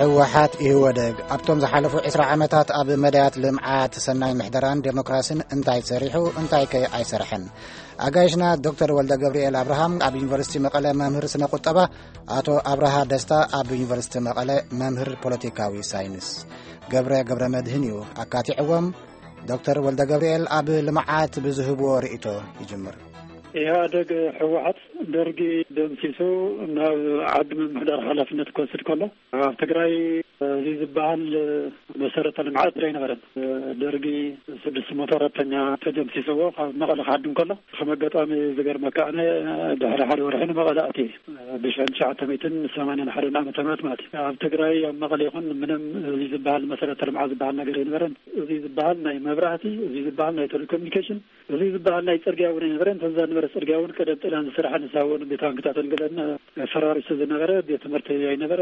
ህወሓት ኢህወደግ ኣብቶም ዝሓለፉ ዕስራ ዓመታት ኣብ መዳያት ልምዓት፣ ሰናይ ምሕደራን ዴሞክራሲን እንታይ ሰሪሑ፣ እንታይ ከ ኣይሰርሐን? ኣጋይሽና ዶክተር ወልደ ገብርኤል ኣብርሃም ኣብ ዩኒቨርሲቲ መቐለ መምህር ስነ ቁጠባ፣ ኣቶ ኣብርሃ ደስታ ኣብ ዩኒቨርሲቲ መቐለ መምህር ፖለቲካዊ ሳይንስ፣ ገብረ ገብረ መድህን እዩ ኣካቲዕዎም። ዶክተር ወልደ ገብርኤል ኣብ ልምዓት ብዝህብዎ ርእይቶ ይጅምር። ኢህኣደግ፣ ህወሓት፣ ደርጊ ደምሲሱ ናብ ዓዲ ምምሕዳር ሓላፍነት ክወስድ ከሎ፣ ኣብ ትግራይ እዚ ዝበሃል መሰረተ ልምዓት ኣይነበረን። ደርጊ ስድስት መቶ ሰራሕተኛ ተደምሲስዎ ካብ መቐለ ክሃድም ከሎ፣ ከም ኣጋጣሚ ዝገርመካ ኣነ፣ ድሕሪ ሓደ ወርሒ ንመቐለ ኣትየ። ብሽሕን ትሽዓተ ሚእትን ሰማንያን ሓደን ዓመተ ምህረት ማለት እዩ። ኣብ ትግራይ፣ ኣብ መቐለ ይኹን፣ ምንም እዚ ዝበሃል መሰረተ ልምዓት ዝበሃል ነገር ኣይነበረን። እዚ ዝበሃል ናይ መብራህቲ፣ እዚ ዝበሃል ናይ ቴሌኮሙኒኬሽን፣ እዚ ዝበሃል ናይ ጽርግያ እውን ኣይነበረን። እተን ዝነበረ ጽርግያ እውን ቀደም ጥልያን ዝሰርሓ፣ ንሳ እውን ቤት ባንክታትን ገለን ፈራሪሱ ዝነበረ፣ ቤት ትምህርቲ ኣይነበረ፣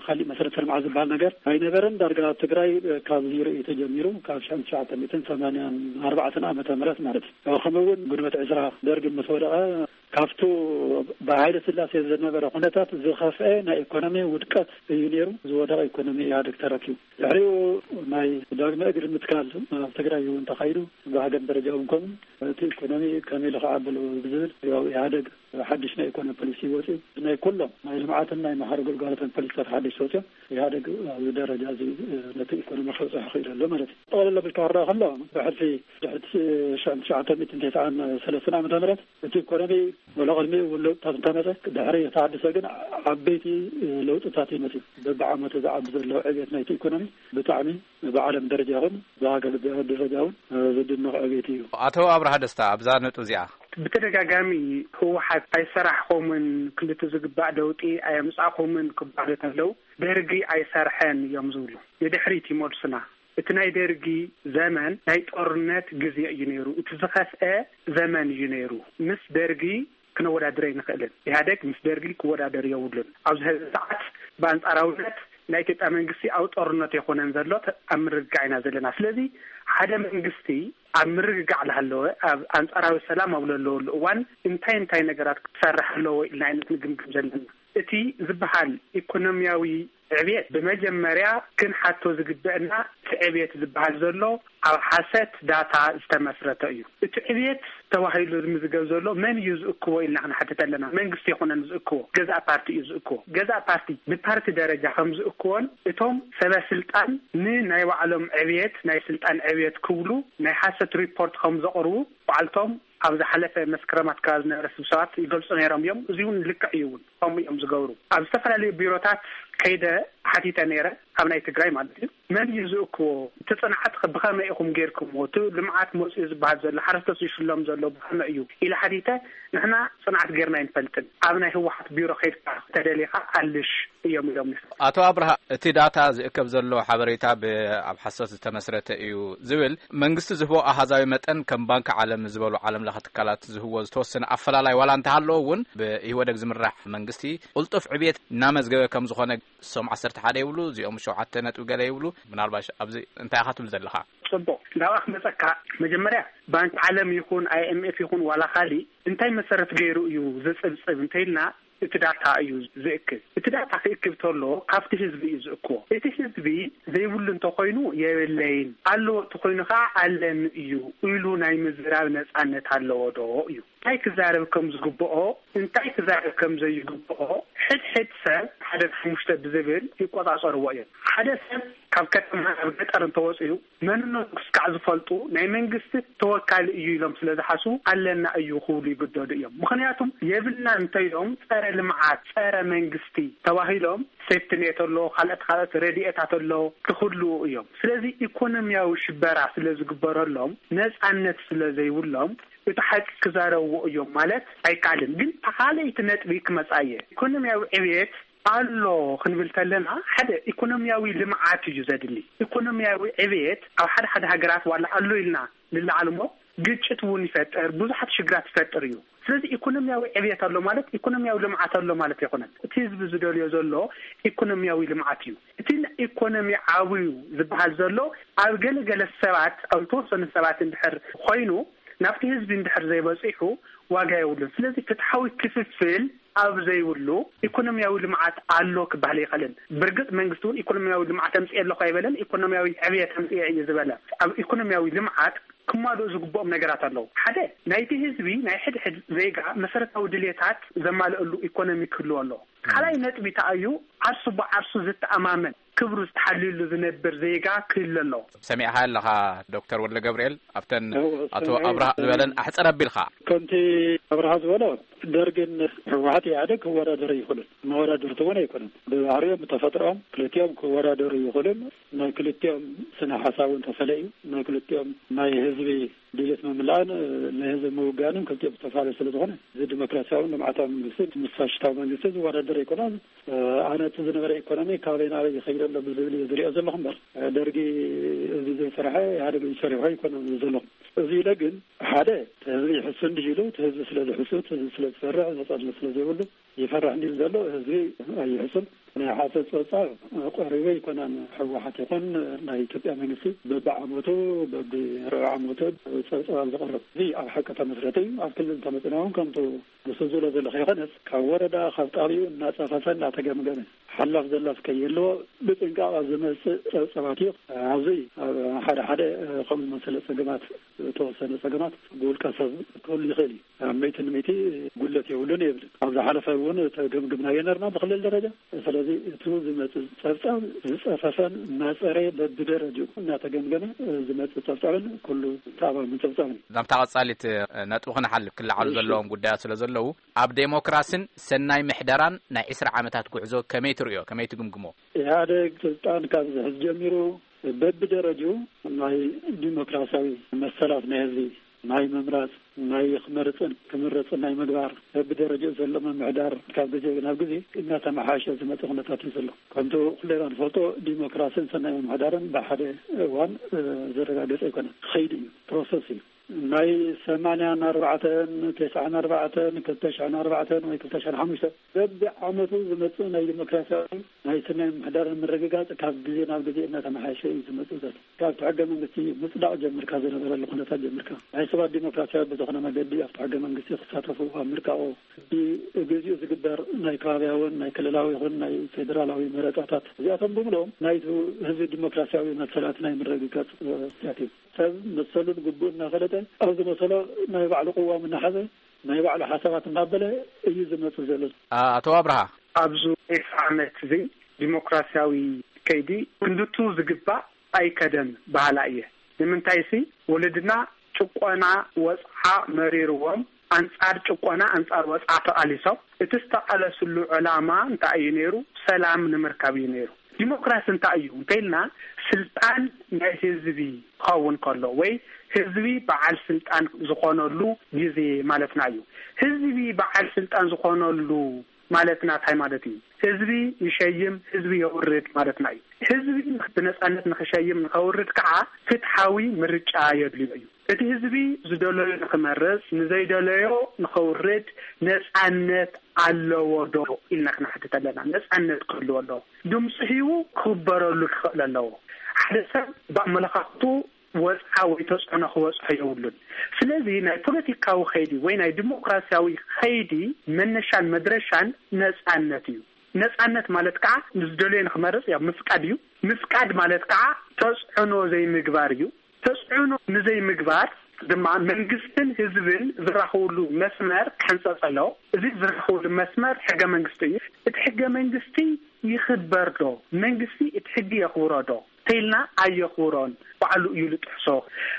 ካሊእ መሰረተ ልምዓት ዝበሃል ነገር ኣይነበረን። ዳርጋ ኣብ ትግራይ ካብ ዜሮ እዩ ተጀሚሩ፣ ካብ ሽሕን ትሽዓተ ሚእትን ሰማንያን ኣርባዕተን ዓመተ ምህረት ማለት እዩ። ከምኡ እውን ግንቦት ዕስራ ደርግ ምስ ወደቐ፣ ካብቱ ብሃይለ ስላሴ ዝነበረ ኩነታት ዝኸፍአ ናይ ኢኮኖሚ ውድቀት እዩ ነይሩ። ዝወደቐ ኢኮኖሚ ኢህኣደግ ተረኪቡ። ድሕሪኡ ናይ ዳግመ እግሪ ምትካል ኣብ ትግራይ እውን ተኻይዱ፣ ብሃገር ደረጃ እውን ከምኡ። እቲ ኢኮኖሚ ከመይ ኢሉ ክዓብል ብዝብል፣ ያው ኢህኣደግ ሓድሽ ናይ ኢኮኖሚ ፖሊሲ ወፂኡ። ናይ ኩሎም ናይ ልምዓትን ናይ ማሕበራዊ ግልጋሎትን ፖሊሲታት ሓድሽ ወፂኦም፣ ኢህኣደግ ኣብዚ ደረጃ እዚ ነቲ ኢኮኖሚ ከብፅሖ ክኢሉ ኣሎ ማለት እዩ። ጠቕለል ኣቢልካ ክረኣ ከሎ፣ ብሕልፊ ድሕሪ ሽሕን ትሽዓተ ሚእትን ተስዓን ሰለስተን ዓመተ ምህረት እቲ ኢኮኖሚ ወላ ቅድሚኡ እውን ለውጥታት እንተመፀ፣ ድሕሪ ተሃድሶ ግን ዓበይቲ ለውጥታት እዩ መፂኡ። በብዓመቱ ዝዓቢ ዘሎ ዕብየት ናይቲ ኢኮኖሚ ብጣዕሚ ብዓለም ደረጃ ይኹን ብሃገር ደረጃ እውን ዝድነቕ ዕብየት እዩ። ኣቶ ኣብርሃ ደስታ፣ ኣብዛ ነጥቢ እዚኣ ብተደጋጋሚ ህወሓት ኣይሰራሕኹምን፣ ክልቲ ዝግባእ ለውጢ ኣየምጻእኹምን ክባሉ እንተለዉ፣ ደርጊ ኣይሰርሐን እዮም ዝብሉ። ንድሕሪት ይመልሱና። እቲ ናይ ደርጊ ዘመን ናይ ጦርነት ግዜ እዩ ነይሩ። እቲ ዝኸፍአ ዘመን እዩ ነይሩ። ምስ ደርጊ ክነወዳድር ኣይንኽእልን። ኢህኣደግ ምስ ደርጊ ክወዳደር የብሉን። ኣብዚ ሕዚ ሰዓት ብኣንጻራውነት ናይ ኢትዮጵያ መንግስቲ ኣብ ጦርነት ኣይኮነን ዘሎ፣ ተ-፣ ኣብ ምርግጋዕ ኢና ዘለና። ስለዚ ሓደ መንግስቲ ኣብ ምርግጋዕ ላሃለወ፣ ኣብ ኣንጻራዊ ሰላም ኣብ ለለወሉ እዋን እንታይ እንታይ ነገራት ክሰርሕ ኣለዎ ኢልና ኢና ክንግምግም ዘለና። እቲ ዝበሃል ኢኮኖሚያዊ ዕብየት ብመጀመርያ ክንሓቶ ዝግበአና፣ እቲ ዕብየት ዝበሃል ዘሎ ኣብ ሓሰት ዳታ ዝተመስረተ እዩ። እቲ ዕብየት ተባሂሉ ዝምዝገብ ዘሎ መን እዩ ዝእክቦ ኢልና ክንሓትት ኣለና። መንግስቲ ኣይኮነን ዝእክቦ፣ ገዛእ ፓርቲ እዩ ዝእክቦ። ገዛእ ፓርቲ ብፓርቲ ደረጃ ከም ዝእክቦን እቶም ሰበ ስልጣን ንናይ ባዕሎም ዕብየት፣ ናይ ስልጣን ዕብየት ክብሉ ናይ ሓሰት ሪፖርት ከም ዘቕርቡ ባዕልቶም ኣብ ዝሓለፈ መስከረም ኣትከራ ዝነበረ ስብሰባት ይገልጹ ነይሮም እዮም። እዚ እውን ልክዕ እዩ እውን። ከምኡ እዮም ዝገብሩ። ኣብ ዝተፈላለዩ ቢሮታት ከይደ ሓቲተ ነይረ፣ ኣብ ናይ ትግራይ ማለት እዩ። መን እዩ ዝእክቦ? እቲ ጽንዓት ከ ብኸመይ ኢኹም ጌርኩምዎ? እቲ ልምዓት መጽኡ ዝበሃል ዘሎ፣ ሓረስቶት ዝሽሎም ዘሎ ብኸመይ እዩ? ኢለ ሓቲተ፣ ንሕና ጽንዓት ጌርና ኣይንፈልጥን። ኣብ ናይ ህወሓት ቢሮ ከይድካ ተደሊኻ ኣልሽ እዮም ኢሎም። ኣቶ ኣብርሃ፣ እቲ ዳታ ዝእከብ ዘሎ ሓበሬታ ብ-፣ ኣብ ሓሶት ዝተመስረተ እዩ ዝብል፣ መንግስቲ ዝህቦ ኣሃዛዊ መጠን ከም ባንክ ዓለም ዝበሉ ዓለም ለኸ ትካላት ዝህቦ ዝተወሰነ ኣፈላላይ ዋላ እንተሃለዎ እውን፣ ብኢህወደግ ዝምራሕ መንግስቲ ቅልጡፍ ዕብየት እናመዝገበ ከም ዝኾነ፣ እሶም ዓሰርተ ሓደ ይብሉ፣ እዚኦም ሸውዓተ ነጥቢ ገለ ይብሉ። ምናልባሽ ኣብዚ እንታይ ኢኻ ትብል ዘለኻ? ጽቡቕ፣ ናብኣ ክመጸካ። መጀመርያ ባንክ ዓለም ይኹን ኣይ ኤም ኤፍ ይኹን ዋላ ካሊእ እንታይ መሰረት ገይሩ እዩ ዝጽብጽብ እንተኢልና፣ እቲ ዳታ እዩ ዝእክብ። እቲ ዳታ ክእክብ ተሎ ካብቲ ህዝቢ እዩ ዝእክቦ። እቲ ህዝቢ ዘይብሉ እንተኾይኑ የብለይን፣ ኣለዎ እንተኾይኑ ከዓ ኣለኒ እዩ ኢሉ ናይ ምዝራብ ነጻነት ኣለዎ ዶ እዩ። እንታይ ክዛረብ ከም ዝግብኦ፣ እንታይ ክዛረብ ከም ዘይግብኦ ሕድሕድ ሰብ ሓደ ሓሙሽተ ብዝብል ይቆጻጸርዎ እዮም። ሓደ ሰብ ካብ ከተማ ናብ ገጠር እንተወፅኡ መንነቱ ክስካዕ ዝፈልጡ ናይ መንግስቲ ተወካሊ እዩ ኢሎም ስለ ዝሓስቡ ኣለና እዩ ክብሉ ይግደዱ እዮም። ምኽንያቱም የብልና እንተኢሎም ጸረ ልምዓት፣ ጸረ መንግስቲ ተባሂሎም ሴፍትኔት ኣሎ፣ ካልኦት ካልኦት ረድኤታት ኣሎ ክኽልኡ እዮም። ስለዚ ኢኮኖሚያዊ ሽበራ ስለ ዝግበረሎም ነጻነት ስለ ዘይብሎም እቲ ሓቂ ክዛረብዎ እዮም ማለት ኣይከኣልን። ግን እታ ካልኣይቲ ነጥቢ ክመጻ እየ። ኢኮኖሚያዊ ዕብየት ኣሎ ክንብል ተለና፣ ሓደ ኢኮኖሚያዊ ልምዓት እዩ ዘድሊ። ኢኮኖሚያዊ ዕብየት ኣብ ሓደ ሓደ ሃገራት ዋላ ኣሎ ኢልና ንለዓል እሞ፣ ግጭት እውን ይፈጥር፣ ብዙሓት ሽግራት ይፈጥር እዩ። ስለዚ ኢኮኖሚያዊ ዕብየት ኣሎ ማለት ኢኮኖሚያዊ ልምዓት ኣሎ ማለት ኣይኮነን። እቲ ህዝቢ ዝደልዮ ዘሎ ኢኮኖሚያዊ ልምዓት እዩ። እቲ ኢኮኖሚ ዓብዩ ዝበሃል ዘሎ ኣብ ገለገለ ሰባት፣ ኣብ ዝተወሰኑ ሰባት እንድሕር ኮይኑ፣ ናብቲ ህዝቢ እንድሕር ዘይበፂሑ ዋጋ የብሉን። ስለዚ ፍትሓዊ ክፍፍል ኣብ ዘይብሉ ኢኮኖሚያዊ ልምዓት ኣሎ ክበሃል ኣይኽእልን። ብርግጽ መንግስቲ እውን ኢኮኖሚያዊ ልምዓት ኣምጽኤ ኣለኹ ኣይበለን፣ ኢኮኖሚያዊ ዕብየት ኣምጽኤ እዩ ዝበለ። ኣብ ኢኮኖሚያዊ ልምዓት ክማልኡ ዝግብኦም ነገራት ኣለዉ። ሓደ፣ ናይቲ ህዝቢ፣ ናይ ሕድሕድ ዜጋ መሰረታዊ ድልየታት ዘማልእሉ ኢኮኖሚ ክህልዎ ኣለዎ። ካልኣይ ነጥቢ ተኣዩ፣ ዓርሱ ብዓርሱ ዝተኣማመን ክብሩ ዝተሓልዩሉ ዝነብር ዜጋ ክህሉ ኣለዎ። ሰሚዕኻ ኣለኻ ዶክተር ወልደ ገብርኤል፣ ኣብተን እዎ፣ ኣቶ ሰሚዐ። ኣብርሃ ዝበለን ኣሕጽር ኣቢልካ። ከምቲ ኣብርሃ ዝበሎ፣ ደርግን ህወሓት ኢህኣደግ ክወዳደሩ ይኽእሉን መወዳደርቲ እውን ኣይኮኑን። ብባህሪኦም ብተፈጥሮኦም ክልቲኦም ክወዳደሩ ይኽእሉን። ናይ ክልቲኦም ስነ ሓሳብ እውን ተፈለዩ። ናይ ክልቲኦም ናይ ህዝቢ ድሌት ምምላእን ንህዝቢ ምውጋንን ክልቲኦም ዝተፈላለዩ ስለ ዝኾነ፣ እዚ ዲሞክራሲያውን ልምዓታዊ መንግስቲ ምስ ፋሽስታዊ መንግስቲ ዝወዳደር ኣይኮነን። ኣነ እቲ ዝነበረ ኢኮኖሚ ካበይ ናበይ ይኸይድ ኣሎ ብዝብል እየ ዝሪኦ ዘለኹ እምበር፣ ደርጊ እዚ ዘይሰርሐ ኢህኣደግ እዩ ሰሪሑ ኣይኮነን ዘለኹ። እዚ ኢለ ግን ሓደ፣ እቲ ህዝቢ ይሕሱ እንዲህ ኢሉ፣ እቲ ህዝቢ ስለ ዝሕሱ፣ እቲ ህዝቢ ስለ ዝፈርሕ፣ ነጻነት ስለ ዘይብሉ ይፈርሕ እንዲህ ዘሎ ህዝቢ ኣይሕሱን። ናይ ሓሶት ጸብጻብ ቆሪበ ኣይኮነን። ህወሓት ይኹን ናይ ኢትዮጵያ መንግስቲ በብዓመቱ፣ በብርብዒ ዓመቱ ጸብጻብ ኣብ ዘቕርብ። እዚ ኣብ ሓቂ ተመስረተ እዩ። ኣብ ክልል እንተመጺና እውን ከምቱ ንሱ ዝብሎ ዘሎ ከይኮነስ፣ ካብ ወረዳ፣ ካብ ጣብያኡ እናጸፈፈ እናተገምገመ፣ ሓላፍ ዘላፍ ከይህልዎ ብጥንቃቕ ኣብ ዝመጽእ ጸብጻባት እዩ። ኣብዚ ኣብ ሓደ ሓደ ከምኡ ዝመሰለ ጸገማት፣ ዝተወሰነ ጸገማት ብውልቀ ሰብ ክህሉ ይኽእል እዩ። ኣብ ሚእቲ ንሚእቲ ጉድለት የብሉን የብልን። ኣብ ዝሓለፈ እውን ተገምግምናዮ ነርና ብክልል ደረጃ። ስለዚ እቲ ዝመጽእ ጸብጻብ ዝጸፈፈን እናጸረየ በብደረጃኡ እናተገምገመ ዝመጽእ ጸብጻብን ኩሉ ተኣማምን ጸብጻብን እዩ። ናብታ ቀጻሊት ነጥቢ ክንሓልፍ ክለዓሉ እሺ። ዘለዎም ጉዳያት ስለ ዘለዉ፣ ኣብ ዴሞክራስን ሰናይ ምሕደራን ናይ ዕስራ ዓመታት ጉዕዞ ከመይ ትርእዮ? ከመይ ትግምግሞ? ኢህኣደግ ስልጣን ካብ ዝሕዝ ጀሚሩ በብደረጃኡ ናይ ዲሞክራሲያዊ መሰላት ናይ ህዝቢ ናይ ምምራጽ፣ ናይ ክመርጽን ክምረጽን ናይ ምግባር፣ በብደረጃኡ ዘሎ ምምሕዳር ካብ ግዜ ናብ ግዜ እናተመሓየሸ ዝመጽእ ኩነታት እዩ ዘሎ። ከምቲ ኩልና ንፈልጦ ዲሞክራስን ሰናይ ምምሕዳርን ብሓደ እዋን፣ እ፣ ዝረጋገጸ ኣይኮነን። ከይዲ እዩ፣ ፕሮሰስ እዩ። ናይ ሰማንያን ኣርባዕተን፣ ተስዓን ኣርባዕተን፣ ክልተ ሽሕን ኣርባዕተን ወይ ክልተ ሽሕን ሓሙሽተን በብዓመቱ ዝመጽእ ናይ ዲሞክራሲያዊ ናይ ሰናይ ምምሕዳር ምርግጋጽ ካብ ግዜ ናብ ግዜ እናተመሓየሸ እዩ ዝመጽእ ዘሎ። ካብቲ ሕገ መንግስቲ ምጽዳቕ ጀምርካ ዝነበረሉ ኩነታት ጀምርካ ናይ ሰባት ዲሞክራሲያዊ ብዝኾነ መገዲ ኣብቲ ሕገ መንግስቲ ክሳተፉ ኣብ ምርቃቑ፣ ብግዚኡ ዝግበር ናይ ከባብያውን ናይ ክልላዊ ይኹን ናይ ፌደራላዊ መረጻታት እዚኣቶም ብምልኦም ናይቲ ህዝቢ ዲሞክራሲያዊ መሰላት ናይ ምርግጋጽ፣ እ፣ ስያት እዩ። ሰብ መሰሉን ግቡእ እናፈለጠ ኣብ ዝመሰሎ ናይ ባዕሉ ቅዋም እናሓዘ ናይ ባዕሉ ሓሳባት እናበለ እዩ ዝመጽእ ዘሎ። ኣ-፣ ኣቶ ኣብርሃ። ኣብዚ ዕስራ ዓመት እዚ ዲሞክራሲያዊ ከይዲ ክንድቱ ዝግባእ ኣይከደን በሃላ እየ። ንምንታይሲ ወለድና ጭቆና ወጽዓ መሪርዎም ኣንጻር ጭቆና ኣንጻር ወጽዓ ተቓሊሶም እቲ ዝተቓለስሉ ዕላማ እንታይ እዩ ነይሩ? ሰላም ንምርካብ እዩ ነይሩ። ዲሞክራሲ እንታይ እዩ እንተኢልና ስልጣን ናይ ህዝቢ ክኸውን ከሎ ወይ ህዝቢ በዓል ስልጣን ዝኾነሉ ግዜ ማለትና እዩ። ህዝቢ በዓል ስልጣን ዝኾነሉ ማለትና እንታይ ማለት እዩ? ህዝቢ ይሸይም፣ ህዝቢ የውርድ ማለትና እዩ። ህዝቢ ብነጻነት ንኽሸይም ንኸውርድ ከዓ ፍትሓዊ ምርጫ የድልዮ እዩ። እቲ ህዝቢ ዝደለዮ ንኽመርጽ፣ ንዘይደለዮ ንኸውርድ ነጻነት ኣለዎ ዶ ኢልና ክንሓትት ኣለና። ነጻነት ክህልዎ ኣለዎ። ድምፂ ሂቡ ክኽበረሉ ክኽእል ኣለዎ። ሓደ ሰብ ብኣመለኻኽቱ ወፅዓ ወይ ተፅዕኖ ክበፅሖ የብሉን። ስለዚ ናይ ፖለቲካዊ ኸይዲ ወይ ናይ ዲሞክራሲያዊ ኸይዲ መነሻን መድረሻን ነፃነት እዩ። ነፃነት ማለት ከዓ ንዝደለዮ ንክመርፅ ያው ምፍቃድ እዩ። ምፍቃድ ማለት ከዓ ተፅዕኖ ዘይምግባር እዩ። ተፅዕኖ ንዘይምግባር ድማ መንግስትን ህዝብን ዝራኸብሉ መስመር ክሕንፀፅ ኣለዎ። እዚ ዝራኸብሉ መስመር ሕገ መንግስቲ እዩ። እቲ ሕገ መንግስቲ ይኽበር ዶ? መንግስቲ እቲ ሕጊ የኽብሮ ዶ? ተይልና ኣየኽብሮን፣ ባዕሉ እዩ ዝጥሕሶ።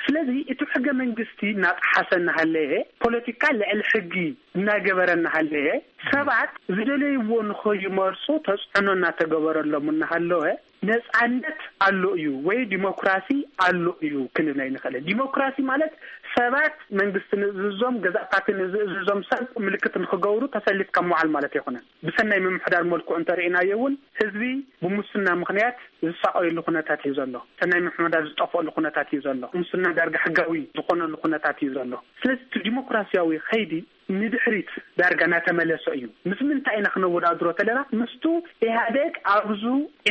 ስለዚ እቲ ሕገ መንግስቲ እናጠሓሰ እናሃለየ፣ ፖለቲካ ልዕሊ ሕጊ እናገበረ እናሃለየ፣ ሰባት ዝደለይዎ ንኸይመርፁ ተፅዕኖ እናተገበረሎም እናሃለወ፣ ነፃነት ኣሎ እዩ ወይ ዲሞክራሲ ኣሎ እዩ ክንብል ኣይንኽእልን። ዲሞክራሲ ማለት ሰባት መንግስቲ ንዝእዝዞም፣ ገዛእ ፓርቲ ንዝእዝዞም ሰብ ምልክት ንኽገብሩ ተሰሊፍካ ምውዓል ማለት ኣይኮነን። ብሰናይ ምምሕዳር መልክዑ እንተርኢናዮ እውን ህዝቢ ብሙስና ምኽንያት ዝሳቐየሉ ኩነታት እዩ ዘሎ። ሰናይ ምምሕዳር ዝጠፍአሉ ኩነታት እዩ ዘሎ። ሙስና ዳርጋ ሕጋዊ ዝኾነሉ ኩነታት እዩ ዘሎ። ስለዚ እቲ ዲሞክራሲያዊ ኸይዲ ንድሕሪት ዳርጋ እናተመለሰ እዩ። ምስ ምንታይ ኢና ክነወዳድሮ ተለና? ምስቱ ኢህኣዴግ ኣብዚ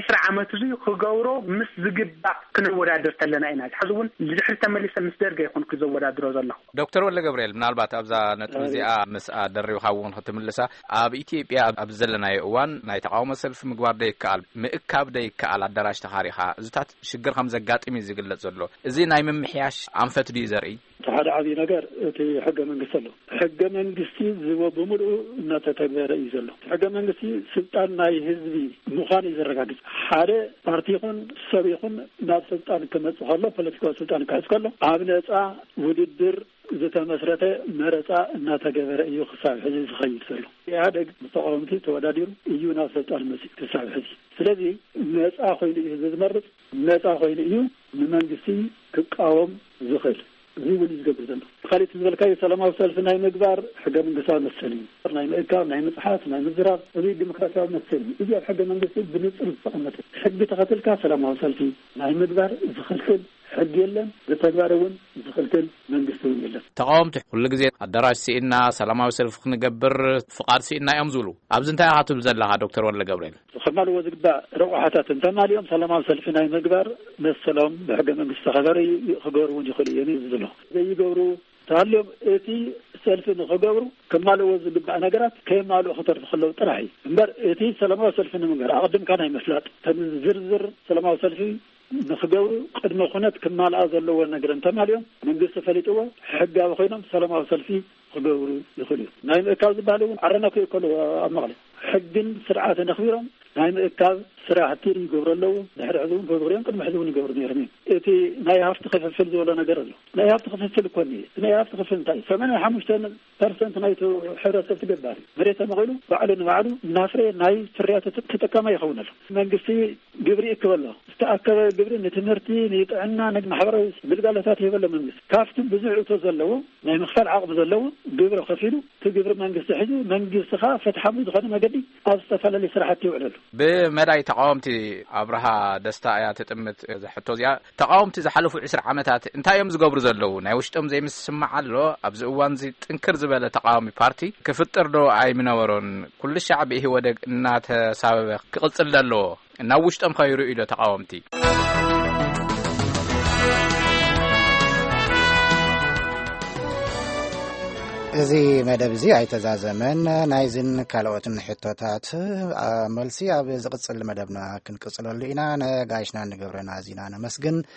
ዕስራ ዓመት እዚ ክገብሮ ምስ ዝግባእ ክነወዳድር ተለና ኢና። ሕዚ እውን ንድሕሪት ተመሊሰ ምስ ደርገ ይኹን ክዘወዳድሮ ዘለኹ። ዶክተር ወልደ ገብርኤል፣ ምናልባት ኣብዛ ነጥቢ እዚኣ ምስኣ ደሪብካ እውን ክትምልሳ፣ ኣብ ኢትዮጵያ ኣብ ዘለናዮ እዋን ናይ ተቃውሞ ሰልፊ ምግባር ደይከኣል፣ ምእካብ ደይከኣል፣ ኣዳራሽ ተኻሪኻ እዚታት ሽግር ከም ዘጋጥም እዩ ዝግለጽ ዘሎ። እዚ ናይ ምምሕያሽ ኣንፈት ድዩ ዘርኢ? እቲ ሓደ ዓብዪ ነገር እቲ ሕገ መንግስቲ ኣሎ። ሕገ መንግስቲ ዝወ ብምልኡ እናተተግበረ እዩ ዘሎ። ሕገ መንግስቲ ስልጣን ናይ ህዝቢ ምዃን እዩ ዘረጋግጽ። ሓደ ፓርቲ ይኹን ሰብ ይኹን ናብ ስልጣን ክመጽእ ከሎ፣ ፖለቲካዊ ስልጣን ክሕዝ ከሎ፣ ኣብ ነጻ ውድድር ዝተመስረተ መረጻ እናተገበረ እዩ ክሳብ ሕዚ ዝኸይድ ዘሎ። ኢህኣደግ ምስ ተቃወምቲ ተወዳዲሩ እዩ ናብ ስልጣን መጽእ ክሳብ ሕዚ። ስለዚ ነጻ ኮይኑ እዩ ህዝቢ ዝመርጽ፣ ነጻ ኮይኑ እዩ ንመንግስቲ ክቃወም ዝኽእል። እዚ እውን እዩ ዝገብር ዘሎ። ካልእ እቲ ዝበልካዮ ሰላማዊ ሰልፊ ናይ ምግባር ሕገ መንግስታዊ መሰል እዩ። ናይ ምእካብ፣ ናይ ምጽሓፍ፣ ናይ ምዝራብ፣ እዚ ዲሞክራሲያዊ መሰል እዩ። እዚ ኣብ ሕገ መንግስቲ ብንጹር ዝተቐመጠ። ሕጊ ተኸትልካ ሰላማዊ ሰልፊ ናይ ምግባር ዝኽልክል ሕጊ የለን። ብተግባር እውን ዝኽልክል መንግስቲ እውን የለን። ተቃወምቲ ኩሉ ግዜ ኣዳራሽ ስኢና ሰላማዊ ሰልፊ ክንገብር ፍቓድ ስኢና እዮም ዝብሉ። ኣብዚ እንታይ ኢኻ ትብል ዘለኻ ዶክተር ወልደ ገብርኤል? ከማልዎ ዝግባእ ረቑሓታት እንተማሊኦም ሰላማዊ ሰልፊ ናይ ምግባር መሰሎም ብሕገ መንግስቲ ዝተኸበረ እዩ፣ ክገብሩ እውን ይኽእሉ እዮም እዩ ዝብሎ። ዘይገብሩ ተሃልዮም እቲ ሰልፊ ንኽገብሩ ከማልዎ ዝግባእ ነገራት ከየማልኡ ክተርፉ ከለዉ ጥራሕ እዩ እምበር፣ እቲ ሰላማዊ ሰልፊ ንምግባር ኣቐድምካ ናይ ምፍላጥ፣ ተን ዝርዝር ሰላማዊ ሰልፊ ንኽገብሩ ቅድመ ኩነት ክማልኣ ዘለዎ ነገር እንተማሊኦም መንግስቲ ፈሊጥዎ ሕጋዊ ኮይኖም ሰላማዊ ሰልፊ ክገብሩ ይኽእሉ እዩ። ናይ ምእካብ ዝበሃል እውን ዓረና ክእከሉ ኣብ መቐለ ሕግን ስርዓትን ኣኽቢሮም ናይ ምእካብ ስራሕቲ ይገብሩ ኣለዉ። ድሕሪ ሕዚ እውን ክገብሩ እዮም፣ ቅድሚ ሕዚ እውን ይገብሩ ነይሮም እዮም። እቲ ናይ ሃፍቲ ክፍፍል ዝበሎ ነገር ኣሎ። ናይ ሃፍቲ ክፍፍል እኮ እኒአ። እቲ ናይ ሃፍቲ ክፍፍል እንታይ እዩ? ሰማንያ ሓሙሽተ ፐርሰንት ናይቲ ሕብረተሰብ እቲ ገባር እዩ። መሬት ተመቒሉ ባዕሉ ንባዕሉ እናፍረየ ናይ ፍርያቱ ተ-፣ ተጠቃማይ ይኸውን ኣሎ። መንግስቲ ግብሪ ይእክብ ኣሎ። ዝተኣከበ ግብሪ ንትምህርቲ፣ ንጥዕና፣ ንማሕበራዊ ግልጋሎታት ይህብ ኣሎ መንግስቲ። ካብቲ ብዙሕ እቶ ዘለዎ ናይ ምኽፋል ዓቕሚ ዘለዎ ግብሪ ከፊሉ እቲ ግብሪ መንግስቲ ሒዙ መንግስቲ ኸኣ ፍትሓዊ ዝኾነ መገዲ ኣብ ዝተፈላለዩ ስራሕቲ ይውዕለሉ። ብመዳይ ተቃወምቲ ኣብርሃ ደስታ እያ ትጥምት እዛ ሕቶ እዚኣ። ተቃወምቲ ዝሓለፉ ዕስራ ዓመታት እንታይ እዮም ዝገብሩ ዘለዉ? ናይ ውሽጦም ዘይምስምማዕ ኣሎ? ኣብዚ እዋን እዚ ጥንክር ዝበለ ተቃዋሚ ፓርቲ ክፍጠር ዶ ኣይምነበሮን? ኩሉ ሻዕ ብኢህወደግ እናተሳበበ ክቕጽል ዶ ኣለዎ? ናብ ውሽጦም ከይርእዩ ዶ ተቃወምቲ? እዚ መደብ እዚ ኣይተዛዘመን። ናይዝን ካልኦትን ሕቶታት፣ ኣ፣ መልሲ ኣብ ዝቕጽል መደብና ክንቅጽለሉ ኢና። ነጋይሽና ንገብረና ኣዚና ነመስግን።